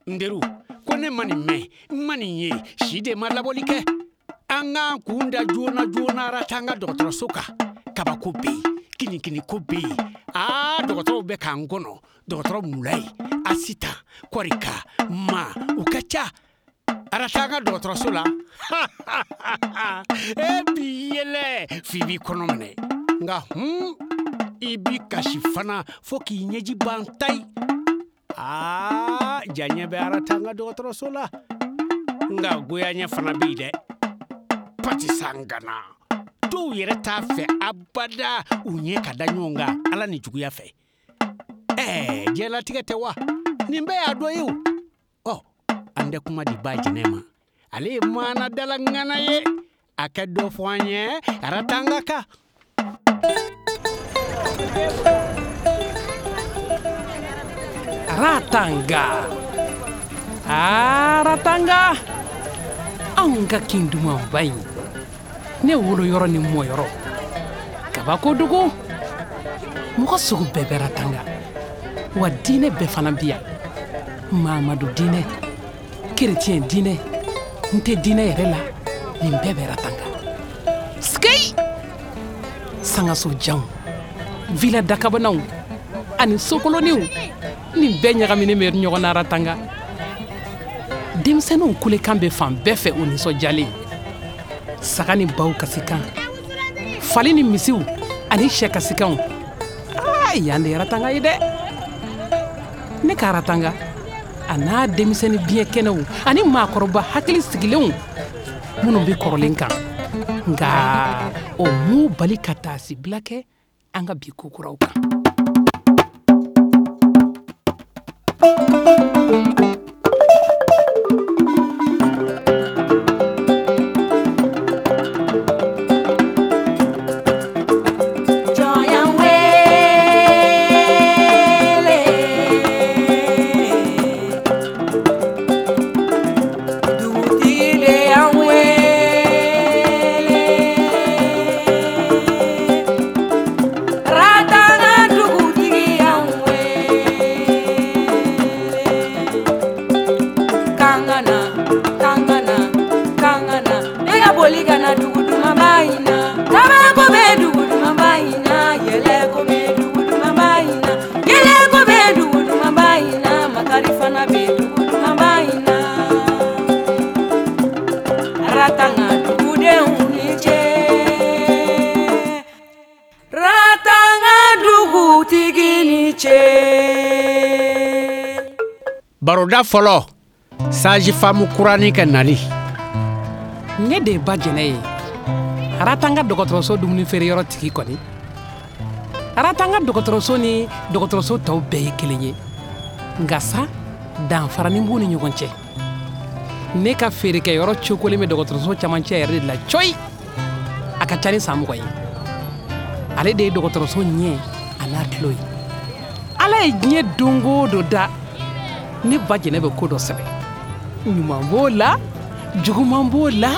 N teriw, ko ne ma nin mɛn, n ma nin ye, si de ma labɔli kɛ. An k'an kun da joona joona Aratanga dɔgɔtɔrɔso kan. Kabako bɛ yen, kinikiniko bɛ yen. Aa, dɔgɔtɔrɔw bɛ k'an kɔnɔ. Dɔgɔtɔrɔ Mulayi, Asitan, Kɔrika, Ma, u ka ca. Aratanga dɔgɔtɔrɔso la. E b'i yɛlɛ f'i b'i kɔnɔ minɛ. Nka hun, i b'i kasi fana fo k'i ɲɛji ban tayi. Aa, diyaɲɛ bɛ Aratanga dɔgɔtɔrɔso la. Nka goyaɲɛ fana bɛ yen dɛ. Patisangana. Dɔw yɛrɛ t'a fɛ abada u ɲɛ ka da ɲɔgɔn kan Ala ni juguya fɛ. Ɛɛ, diɲɛlatigɛ tɛ wa? Nin bɛɛ y'a dɔ ye o. Ɔ, an tɛ kuma di ba jɛnɛ ma. Ale ye maanadala ŋana ye. A ka dɔ fɔ an ye Aratanga kan. Aratanga, Aratanga, anw ka kin dumanba in, ne woloyɔrɔ ni mɔyɔrɔ, kabako dugu, mɔgɔ sugu bɛɛ bɛ Aratanga, wa diinɛ bɛɛ fana bi yan, Mamadu diinɛ, kerecɛn diinɛ, n tɛ diinɛ yɛrɛ la, nin bɛɛ bɛ Aratanga. Sikeyi! Sangaso janw, villa dakabanaw ani sokoloniw, nin bɛɛ ɲagaminen bɛ ɲɔgɔn na Aratanga. Denmisɛnninw kulekan bɛ fan bɛɛ fɛ u nisɔndiyalen. Saga ni baw kasikan, fali ni misiw ani sɛ kasikanw. Aa, yan de ye Aratanga ye dɛ. Ne ka Aratanga, a n'a denmisɛnnin biɲɛ kɛnɛw ani maakɔrɔba hakili sigilenw minnu bɛ kɔrɔlen kan. Nka o m'u bali ka taasibila kɛ an ka bi ko kuraw kan. Baroda fɔlɔ, sage-femme kuranin ka nali. Ne de ye ba jɛnɛ ye. Aratanga dɔgɔtɔrɔso dumuni feere yɔrɔ tigi kɔni. Aratanga dɔgɔtɔrɔso ni dɔgɔtɔrɔso tɔw bɛɛ ye kelen ye. Nka sa, danfaranin b'u ni ɲɔgɔn cɛ. Ne ka feerekɛyɔrɔ cokolen bɛ dɔgɔtɔrɔso camancɛ yɛrɛ de la cɔyi. A ka ca ni san 20 ye. Ale de ye dɔgɔtɔrɔso ɲɛ a n'a tulo ye. Ala ye diɲɛ don o don da, ne ba jɛnɛ bɛ ko dɔ sɛbɛn. Ɲuman b'o la, juguman b'o la,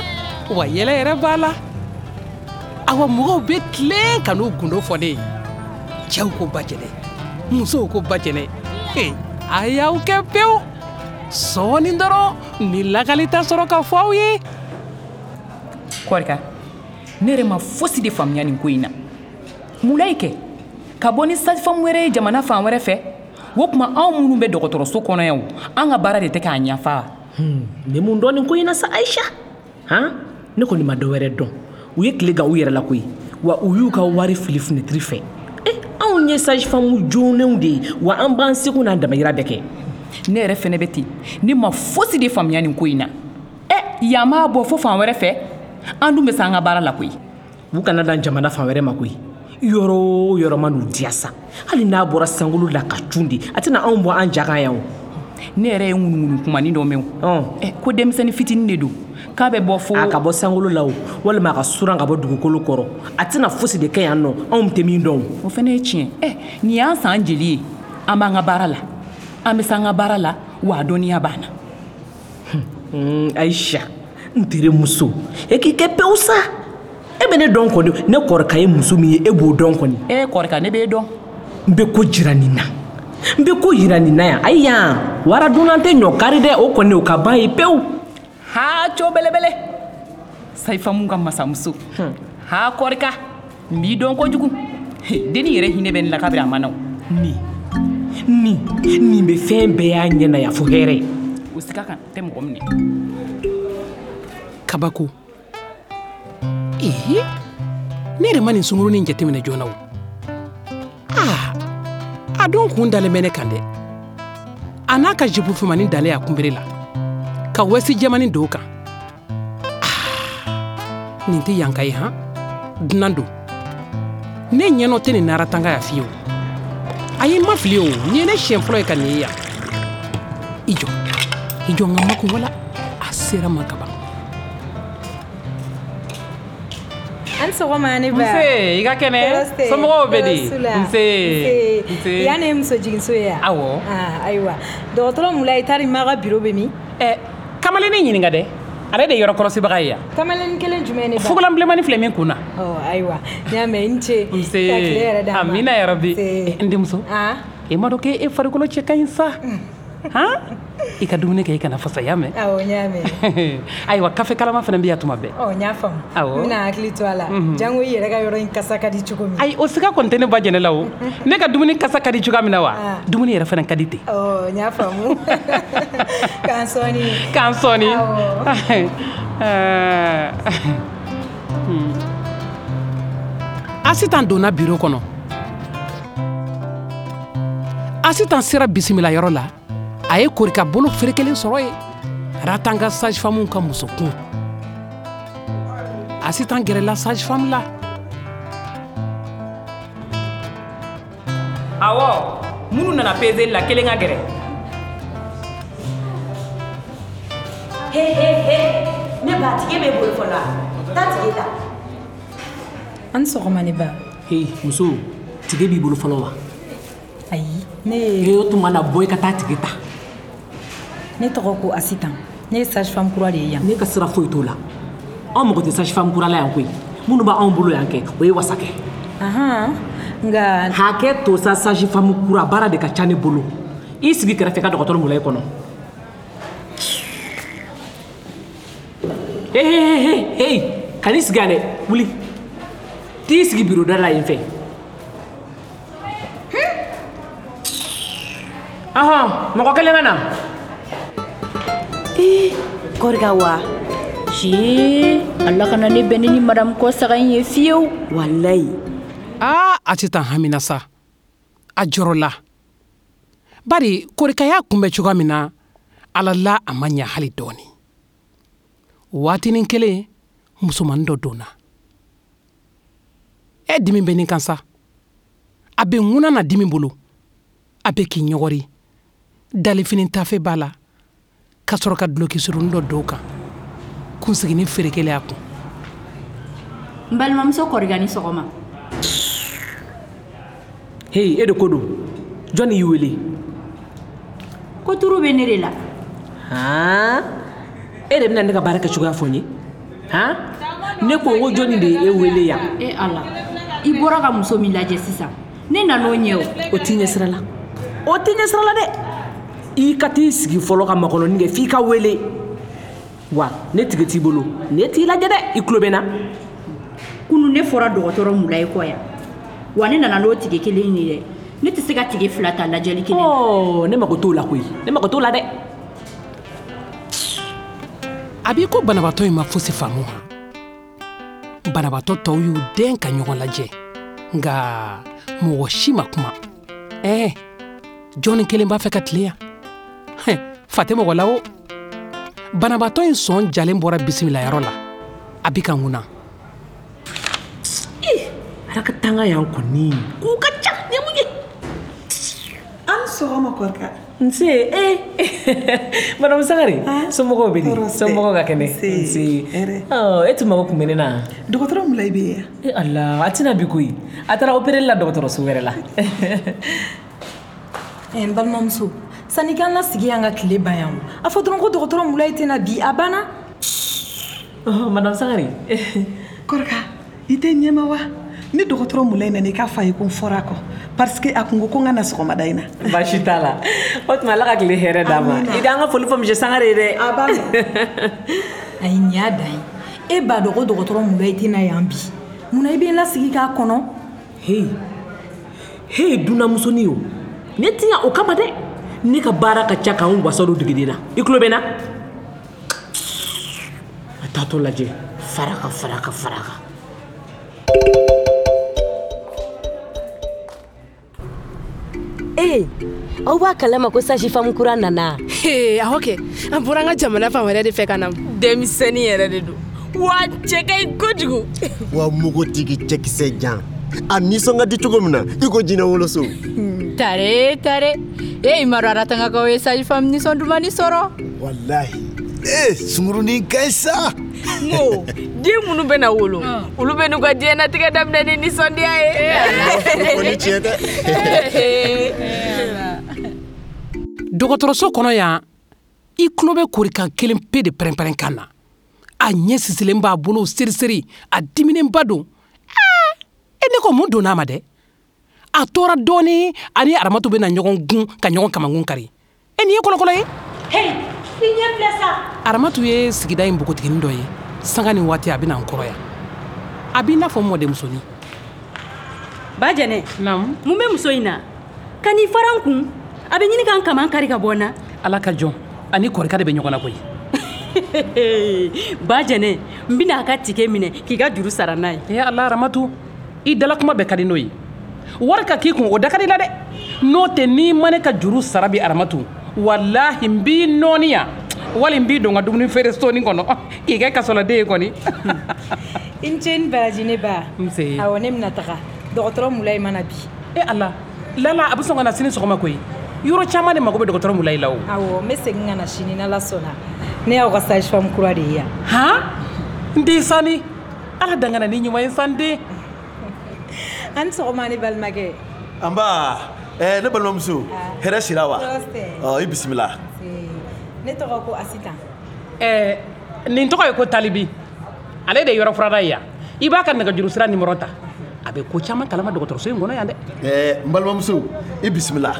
wa yɛlɛ yɛrɛ b'a la. Awa mɔgɔw bɛ tilen ka n'u gundo fɔ ne ye. Cɛw ko ba jɛnɛ, musow ko ba jɛnɛ. Ee, a y'aw kɛ pewu. Sɔɔni dɔrɔn ni lakalita sɔrɔ ka fɔ aw ye. Kɔrika, ne yɛrɛ ma fosi de faamuya nin ko in na. Mulayi kɛ, ka bɔ ni sage-femme wɛrɛ ye jamana fan wɛrɛ fɛ, o tuma anw minnu bɛ dɔgɔtɔrɔso kɔnɔ yan o, an ka baara de tɛ k'a ɲɛfa. N bɛ mun dɔn nin ko in na sa Ayisa? Han, ne kɔni ma dɔ wɛrɛ dɔn. U ye tile gan u yɛrɛ la koyi, wa u y'u ka wari fili finɛtiri fɛ. Anw ye sage-femme joonenw de ye, wa an b'an seko n'an damayira bɛɛ kɛ. Ne yɛrɛ fɛnɛ bɛ ten, ne ma fosi de faamuya nin ko in na. Yan b'a bɔ fo fan wɛrɛ fɛ, an dun bɛ se an ka baara la koyi. U kana dan jamana fan wɛrɛ ma koyi. Yɔrɔ o yɔrɔ ma n'u diya sa, hali n'a bɔra sankolo la ka cun de, a tɛna anw bɔ an ja kan yan o. Ne yɛrɛ ye ŋunuŋunu kumanin dɔ mɛn o. Ko denmisɛnnin fitinin de don, k'a bɛ bɔ fo A ka bɔ sankolo la o, walima a ka suran ka bɔ dugukolo kɔrɔ, a tɛna fosi de kɛ yan nɔ, anw tɛ min dɔn o. O fana ye tiɲɛ. Nin y'an san jeli ye, an b'an ka baara la, an bɛ se an ka baara la, wa a dɔnniya b'an na. Ayisa, n terimuso, e k'i kɛ pewu sa. E bɛ ne dɔn kɔni, ne kɔrɔkɛ ye muso min ye, e b'o dɔn kɔni. Kɔrɔkɛ, ne b'e dɔn. N bɛ ko jira nin na. N bɛ ko yira nin na yan. Ayi yan, wara dunan tɛ ɲɔ kari dɛ, o kɔni o ka ban ye pewu. Ha, co belebele. Sayifamu ka masamuso. Ha, Kɔrika, n b'i dɔn kojugu. Denni yɛrɛ hinɛ bɛ n la kabiri a ma na o. Nin bɛ fɛn bɛɛ y'a ɲɛ na yan fo hɛrɛ. O siga kan tɛ mɔgɔ minɛ. Kabako. Ee, ne yɛrɛ ma nin sunkurunin jateminɛ joona o. Aa, a dun kun dalen bɛ ne kan dɛ. A n'a ka jipu finmanin dalen a kunbere la, ka wɛsi jɛmanin don o kan. Aa, nin tɛ yanka ye han, dunan don. Ne ɲɛnɔ tɛ nin naratanga ya fiyewu. Ayi, n ma fili o, nin ye ne siɲɛ fɔlɔ ye ka nin ye yan. I jɔ, i jɔ n ka makun wala, a sera ma kaban. An sɔgɔma ne ba. Nse, i ka kɛnɛ? Somɔgɔw bɛ di? Nse. Nse. Yan ne ye muso jiginso ye yan? Awɔ. Ah, ayiwa. Dɔgɔtɔrɔ Mulayi tari ma ka biro bɛ min? Ɛ, kamalennin ɲininka dɛ. Ale de ye yɔrɔ kɔlɔsibaga ye yan. Kamalennin kelen jumɛn ne ba? Fugulan bilenmanin filɛ min kun na. Ɔ, ayiwa. N y'a mɛn, i ni ce. Nse. Ka tile yɛrɛ d'an ma. Amina yarabi. Nse. N denmuso. Ah. E m'a dɔn k'e farikolo cɛ ka ɲi sa. Han? I ka dumuni kɛ i kana fasa, y'a mɛn? Awɔ, n y'a mɛn. Ayiwa, kafe kalama fana bɛ yan tuma bɛɛ. Ɔ, n y'a faamu. Awɔ. N bɛna hakili to a la. Jango i yɛrɛ ka yɔrɔ in kasa ka di cogo min. Ayi, o siga kɔni tɛ ne ba jɛnɛ la o. Ne ka dumuni kasa ka di cogoya min na wa? Dumuni yɛrɛ fana ka di ten. Ɔ, n y'a faamu. K'an sɔɔni. K'an sɔɔni. Awɔ. Asitan donna biro kɔnɔ. Asitan sera bisimila yɔrɔ la. A ye Korika bolo ferekelen sɔrɔ yen. Ratanga sage-femme ka musokun. Asitan gɛrɛla sage-femme la. Awɔ, minnu nana peseli la kelen ka gɛrɛ. He he he, ne ba tige b'e bolo fɔlɔ wa? Taa tige ta. An sɔgɔma ne ba. Hey, muso, tige b'i bolo fɔlɔ wa? Ayi, ne ye. E o tuma na bɔ i ka taa tige ta. Ne tɔgɔ ko Asitan. Ne ye sage-femme kura de ye yan. Ne ka sira foyi t'o la. Anw mago tɛ sage-femme kura la yan koyi. Minnu b'anw bolo yan kɛ, o ye wasa kɛ. Ahan, nka. Hakɛ to sa, sage-femme kura baara de ka ca ne bolo. I sigi kɛrɛfɛ ka dɔgɔtɔrɔ Mulayi kɔnɔ. Hey, hey, hey, hey, kan'i sigi yan dɛ, wuli. T'i sigi biro da la yen fɛ. Ahan, mɔgɔ kelen ka na. Ee, Kɔrika wa? Si, ala kana ne bɛn ni madame Kɔsaga in ye fiyewu. Walayi. Aa, Asitan hamina sa. A jɔrɔla. Bari Korika y'a kunbɛn cogoya min na, Ala la a ma ɲɛ hali dɔɔni. Waatinin kelen, musomanin dɔ donna. E dimi bɛ nin kan sa. A bɛ ŋuna na dimi bolo. A bɛ k'i ɲɔgɔri. Dalifini tafe b'a la. Ka sɔrɔ ka duloki surunin dɔ don o kan. Kunsiginin ferekelen a kun. N balimamuso Kɔrika ni sɔgɔma. Hey, e de ko don. Jɔnni y'i wele? Ko turu bɛ ne de la. Han? E de bɛna ne ka baara kɛ cogoya fɔ n ye? Han? Ne ko n ko jɔnni de ye e wele yan? E Ala, i bɔra ka muso min lajɛ sisan, ne nan'o ɲɛ o. O t'i ɲɛsira la. O t'i ɲɛsira la dɛ. I ka t'i sigi fɔlɔ ka makɔnɔni kɛ f'i ka wele. Wa ne tigi t'i bolo, ne t'i lajɛ dɛ, i tulo bɛ n na. Kunu ne fɔra dɔgɔtɔrɔ Mulayi kɔ yan. Wa ne nana n'o tigi kelen ye dɛ. Ne tɛ se ka tigi fila ta lajɛli kelen na. Ɔ, ne mago t'o la koyi. Ne mago t'o la dɛ. A b'i ko banabaatɔ in ma fosi faamu han. Banabaatɔ tɔw y'u den ka ɲɔgɔn lajɛ. Nka mɔgɔ si ma kuma. Ɛɛ, jɔnni kelen b'a fɛ ka tile yan? Fa tɛ mɔgɔ la o. Banabaatɔ in sɔn jalen bɔra bisimilayɔrɔ la. A bi ka ŋuna. Ala ka tanga yan kɔni. K'u ka ca, nin ye mun ye? An sɔgɔma Kɔrika. Nse, eh. Madame Sangare, somɔgɔw bɛ di? Somɔgɔw ka kɛnɛ? Nse. Hɛrɛ. Ɔ, e tun mago tun bɛ ne na. Dɔgɔtɔrɔ Mulayi bɛ yen? E Ala, a tɛna bi koyi. A taara opéreli la dɔgɔtɔrɔso wɛrɛ la. N balimamuso, sanni k'an lasigi yan ka tile ban yan o. A fɔ dɔrɔn ko dɔgɔtɔrɔ Mulayi tɛna bi, a banna. Madame Sangare. Kɔrika, i tɛ ɲɛma wa? Ni dɔgɔtɔrɔ Mulayi nana i k'a fɔ a ye ko n fɔra a kɔ. Parce que a kun ko ko n ka na sɔgɔmada in na. Baasi t'a la. O tuma Ala ka tile hɛrɛ d'a ma. I d'an ka foli fɔ monsieur Sangare ye dɛ. A b'a mɛn. Ayi, nin y'a dan ye. E b'a dɔn ko dɔgɔtɔrɔ Mulayi tɛ na yan bi. Munna i bɛ n lasigi k'a kɔnɔ? Hey, hey, dunanmusonin o. Ne tɛ yan o kama dɛ. Ne ka baara ka ca k'an wasa don degeden na. I tulo bɛ n na? A taatɔ lajɛ. Faraka, faraka, faraka. Ee, aw b'a kalama ko sage-femme kura nana. Ee, awɔ kɛ, an bɔra an ka jamana fan wɛrɛ de fɛ ka na. Denmisɛnnin yɛrɛ de don wa, cɛ ka ɲi kojugu. Wa mugutigi cɛkisɛ jan, a nisɔn ka di cogo min na i ko jinɛ woloso. Tare tare, e i ma dɔn Aratangakaw ye sage-femme nisɔn dumani sɔrɔ. Walahi, ee, sunkurunin ka ɲi sa. N ko den minnu bɛna wolo, olu bɛ n'u ka diɲɛnatigɛ daminɛ ni nisɔndiya ye. O ni tiɲɛ tɛ. Dɔgɔtɔrɔso kɔnɔ yan, i tulo bɛ korikan kelen pe de pɛrɛn-pɛrɛn kan na. A ɲɛ sisilen b'a bolo seriseri, a diminenba don. E, ne ko mun donna a ma dɛ? A tora dɔɔni, ani Aramatu bɛna ɲɔgɔn gun ka ɲɔgɔn kamankun kari. E, nin ye kɔlɔkɔlɔ ye. Hey, i ɲɛ filɛ sa. Aramatu ye sigida in npogotiginin dɔ ye. Sanga ni waati a bɛna n kɔrɔ yan. A b'i n'a fɔ mɔdenmusonin. Ba Jɛnɛ. Naamu. Mun bɛ muso in na? Ka n'i fara n kun, a bɛ ɲini ka n kaman kari ka bɔ n na. Ala ka jɔn, ani kɔrika de bɛ ɲɔgɔn na koyi. Ba Jɛnɛ, n bɛna a ka tike minɛ k'i ka juru sara n'a ye. E Ala, Aramatu, i dala kuma bɛɛ ka di n'o ye. Wari ka k'i kun, o da ka di la dɛ. N'o tɛ, n'i ma ne ka juru sara bi, Aramatu, walahi n b'i nɔɔni yan, wali n b'i don n ka dumuni feere soni kɔnɔ k'i kɛ kasoladen ye kɔni. I ni ce ni baraji ne ba. Nse. Awɔ, ne bɛna taga. Dɔgɔtɔrɔ Mulayi mana bi. E Ala, lala a bɛ sɔn ka na sini sɔgɔma koyi. Yɔrɔ caman de mago bɛ dɔgɔtɔrɔ Mulayi la o. Awɔ, n bɛ segin ka na sini n'Ala sɔnna. Ne y'aw ka sage-femme kura de ye yan. Han? N den sani. Ala dangana ni ɲuman ye san den. A ni sɔgɔma ne balimakɛ. Anba, ne balimamuso, hɛrɛ sira wa? Tɔɔrɔ tɛ. Ɔ, i bisimila. Ne tɔgɔ ko Asitan. Nin tɔgɔ ye ko Talibi. Ale de ye yɔrɔ furada ye yan. I b'a ka nɛgɛjuru sira nimɔrɔ ta. A bɛ ko caman kalama dɔgɔtɔrɔso in kɔnɔ yan dɛ. N balimamuso, i bisimila.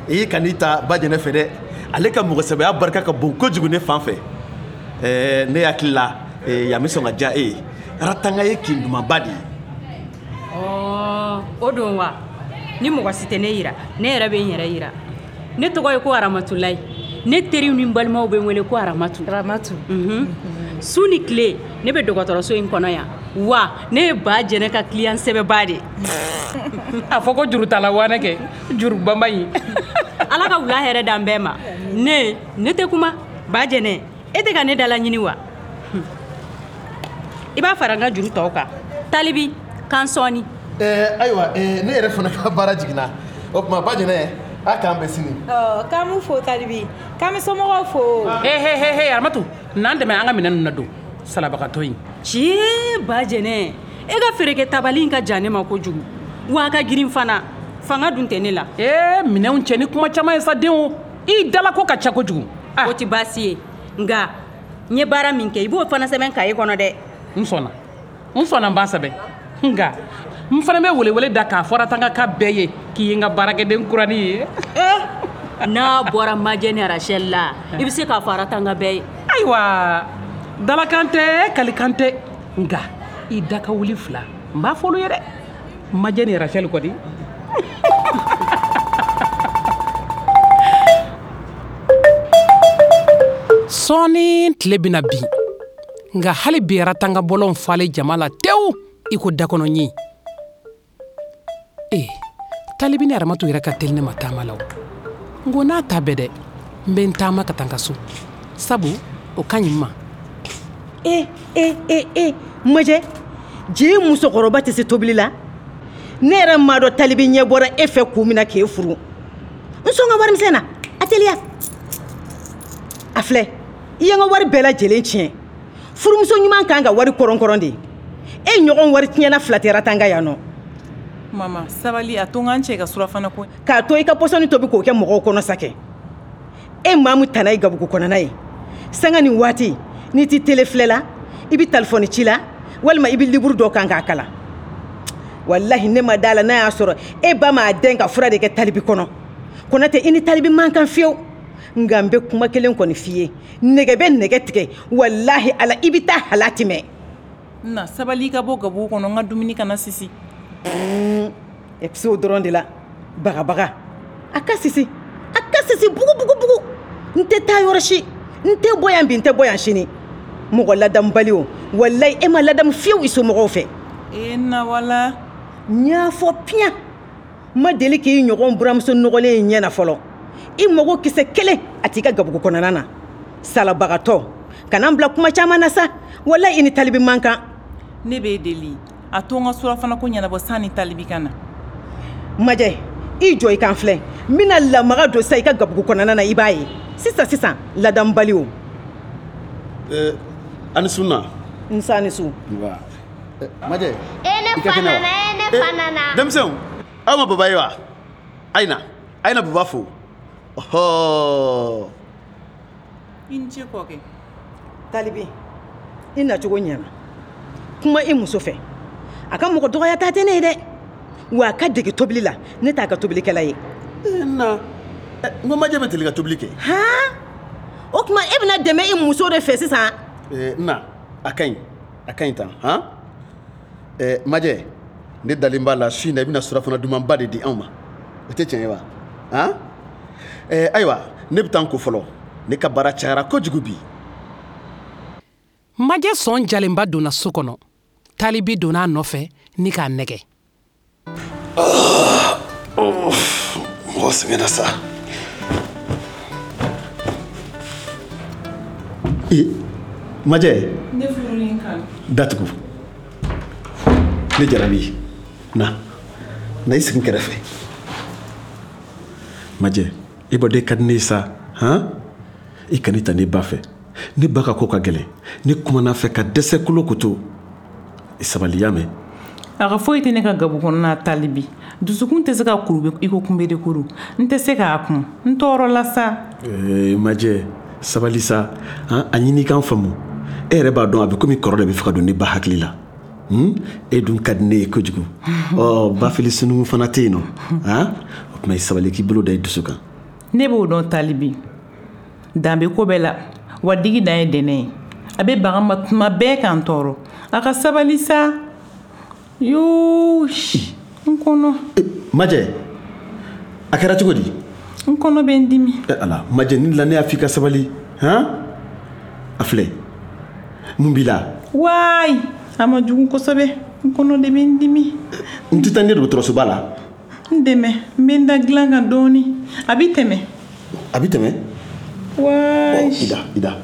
I kan'i ta ba Jɛnɛ fɛ dɛ. Ale ka mɔgɔsɛbɛya barika ka bon kojugu ne fan fɛ. Ne hakili la, yan bɛ sɔn ka diya e ye. Aratanga ye kin dumanba de ye. Ɔɔ, o don wa? Ni mɔgɔ si tɛ ne yira, ne yɛrɛ bɛ n yɛrɛ yira. Ne tɔgɔ ye ko Aramatulayi. Ne teriw ni n balimaw bɛ n wele ko Aramatu. Aramatu. Su ni tile, ne bɛ dɔgɔtɔrɔso in kɔnɔ yan. Wa ne ye ba Jɛnɛ ka client sɛbɛba de ye. A fɔ ko jurutala wanɛ kɛ, juru banba in. Ala ka wula hɛrɛ d'an bɛɛ ma. Ne tɛ kuma. Ba Jɛnɛ, e tɛ ka ne dala ɲini wa? I b'a fara n ka juru tɔw kan. Talibi, k'an sɔɔni. Ayiwa, ne yɛrɛ fana ka baara jiginna. O tuma ba Jɛnɛ, a k'an bɛn sini. Ɔ, k'an b'u fo Talibi. K'an bɛ somɔgɔw fo. He he he he, Aramatu, n'an dɛmɛ an ka minɛn ninnu na don. Salabagatɔ in. Cee, ba Jɛnɛ, e ka feerekɛ tabali in ka jan ne ma kojugu. Wa a ka girin fana. Fanga dun tɛ ne la. Ee, minɛnw cɛ ni kuma caman ye sa den o. I dala ko ka ca kojugu. O tɛ baasi ye. Nka n ye baara min kɛ, i b'o fana sɛbɛn kaye kɔnɔ dɛ. N sɔnna. N sɔnna, n b'a sɛbɛn. Nka n fana bɛ welewele da k'a fɔ Aratanga bɛɛ ye k'i ye n ka baarakɛden kuranin ye. N'a bɔra Majɛ ni Rachel la, i bɛ se k'a fɔ Aratanga bɛɛ ye. Ayiwa, dalakan tɛ, kalikan tɛ. Nka i da ka wuli fila, n b'a fɔ olu ye dɛ. Majɛ ni Rachel kɔni. Sɔɔni tile bɛna bin. Nka hali bi Aratanga bɔlɔn falen jama la tewu i ko dakɔnɔ ɲin. Ee, Talibi ni Aramatu yɛrɛ ka teli ne ma taama la o. N ko n'a ta bɛɛ dɛ, n bɛ n taama ka taa n ka so. Sabu o ka ɲi n ma. E, e, e, e, Majɛ, je musokɔrɔba tɛ se tobili la. Ne yɛrɛ m'a dɔn Talibi ɲɛ bɔra e fɛ kun min na k'e furu. N sɔn ka warimisɛn na, a teliya. A filɛ, i ye n ka wari bɛɛ lajɛlen tiɲɛ. Furumuso ɲuman kan ka wari kɔrɔnkɔrɔn de. E ɲɔgɔn wari tiɲɛna fila tɛ Aratanga yan nɔ. Mama, sabali, a to n ka n cɛ ka surafana ko. K'a to i ka pɔsɔni tobi k'o kɛ mɔgɔw kɔnɔ sa kɛ. E maa min tana ye gabugu kɔnɔna ye. Sanga ni waati, n'i t'i tele filɛ la, i bɛ telefɔni ci la, walima i bɛ liburu dɔ kan k'a kalan. Walahi ne ma da la n'a y'a sɔrɔ e ba m'a dɛn ka fura de kɛ Talibi kɔnɔ. Konatɛ, i ni Talibi man kan fiyewu. Nka n bɛ kuma kelen kɔni f'i ye, nɛgɛ bɛ nɛgɛ tigɛ, walahi Ala, i bɛ taa halati mɛn. Na sabali, i ka bɔ gabugu kɔnɔ, n ka dumuni kana sisi. E bɛ se o dɔrɔn de la, bagabaga. A ka sisi, a ka sisi bugu bugu bugu. N tɛ taa yɔrɔ si, n tɛ bɔ yan bi, n tɛ bɔ yan sini. Mɔgɔ ladamubali o, walayi e ma ladamu fiyewu i somɔgɔw fɛ. E na wala. N y'a fɔ piyan, n ma deli k'i ɲɔgɔn buramuso nɔgɔlen in ɲɛ na fɔlɔ. I mago kisɛ kelen a t'i ka gabugu kɔnɔna na. Salabagatɔ, kana n bila kuma caman na sa, walayi i ni Talibi man kan. Ne b'e deli, a to n ka surafana ko ɲɛnabɔ sanni Talibi ka na. Majɛ, i jɔ i kan filɛ, n bɛna lamaga don sa i ka gabugu kɔnɔna na, i b'a ye sisan sisan, ladamubali o. A ni su na. Nse, a ni su. Majɛ. E ne fa nana, e ne fa nana. Denmisɛnw, aw ma baba ye wa? A ye na, a ye na baba fo. Ɔhɔ. I ni ce kɔkɛ. Talibi, i nacogo ɲɛna. Kuma i muso fɛ, a ka mɔgɔ dɔgɔya ta tɛ ne ye dɛ. Wa a ka dege tobili la, ne t'a ka tobilikɛla ye. Na n ko majɛ bɛ deli ka tobili kɛ. Han, o tuma e bɛna dɛmɛ i muso de fɛ sisan? Na, a ka ɲi, a ka ɲi tan. Han, majɛ, ne dalen b'a la su in na i bɛna surafana dumanba de di anw ma. O tɛ tiɲɛ ye wa? Han, ayiwa, ne bɛ taa n ko fɔlɔ, ne ka baara cayara kojugu bi. Majɛ sɔn jalenba donna so kɔnɔ. Talibi donna a nɔfɛ ni k'a nɛgɛ. Mɔgɔ sɛgɛnna sa. Majɛ. Ne furulen kan. Datugu. Ne jarabi. Na. Na i sigi n kɛrɛfɛ. Majɛ, i b'a dɔn e ka di ne ye sa, han? I kana i ta ne ba fɛ. Ne ba ka ko ka gɛlɛn. Ne kumana fɛ ka dɛsɛ kolo koto. I sabali, y'a mɛn? A ka foyi tɛ ne ka gabu kɔnɔna Talibi. Dusukun tɛ se ka kuru i ko kunbere kuru. N tɛ se k'a kun. N tɔɔrɔla sa. Majɛ, sabali sa. A ɲini k'an faamu. E yɛrɛ b'a dɔn a bɛ komi kɔrɔ de bɛ fɛ ka don ne ba hakili la. E dun ka di ne ye kojugu. Ɔ, bafili sununkun fana tɛ yen nɔ. O tuma i sabali, k'i bolo da i dusu kan. Ne b'o dɔn Talibi. Dan bɛ ko bɛɛ la. Wa digi dan ye dɛnɛ ye. A bɛ bagan ma tuma bɛɛ k'an tɔɔrɔ. A ka sabali sa. Yoo, n kɔnɔ. Majɛ, a kɛra cogo di? N kɔnɔ bɛ n dimi. Ala, Majɛ, ni la ne y'a f'i ka sabali. Han? A filɛ. Mun b'i la? Waay, a ma jugu kosɛbɛ. N kɔnɔ de bɛ n dimi. N tɛ taa ne dɔgɔtɔrɔsoba la. N dɛmɛ, n bɛ n da dilan kan dɔɔni. A bɛ tɛmɛ. A bɛ tɛmɛ? Waay. I da, i da.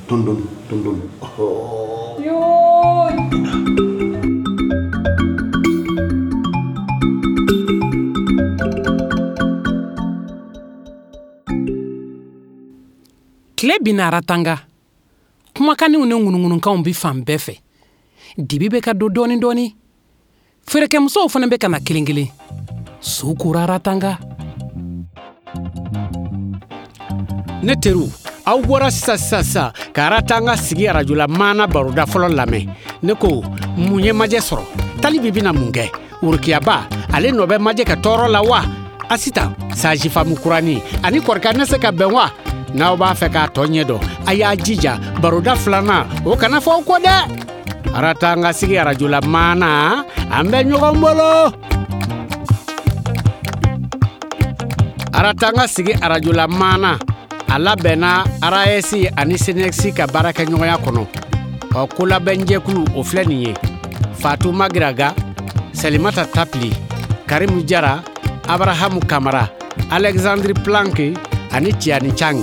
Dɔɔni dɔɔni, dɔɔni dɔɔni. Yoo. Tile binna Aratanga. Kumakanniw ni ŋunuŋunukanw bɛ fan bɛɛ fɛ. Dibi bɛ ka don dɔɔni dɔɔni. Feerekɛmusow fana bɛ ka na kelen kelen. Su kora Aratanga. Ne teriw, aw bɔra sisan sisan sisan ka Aratanga sigi arajola maana baroda fɔlɔ lamɛn. Ne ko mun ye majɛ sɔrɔ? Talibi bɛna mun kɛ? Worokiyaba, ale nɔ bɛ majɛ ka tɔɔrɔ la wa? Asitan, sajifamu kurani ani kɔrɔkɛ ne se ka bɛn wa? N'aw b'a fɛ k'a tɔ ɲɛ dɔn, a y'a jija baroda filanan o kana fɔ aw kɔ dɛ. Aratanga sigi arajola maana, an bɛ ɲɔgɔn bolo. Aratanga sigi arajola maana, a labɛnna RAS ani SNEC ka baarakɛɲɔgɔnya kɔnɔ. Ɔ, kolabɛnjɛkulu o filɛ nin ye: Fatou Magiraga, Salimata Tapili, Karimu Jara, Abrahamu Kamara, Alexandre Planck ani Tiani Chang.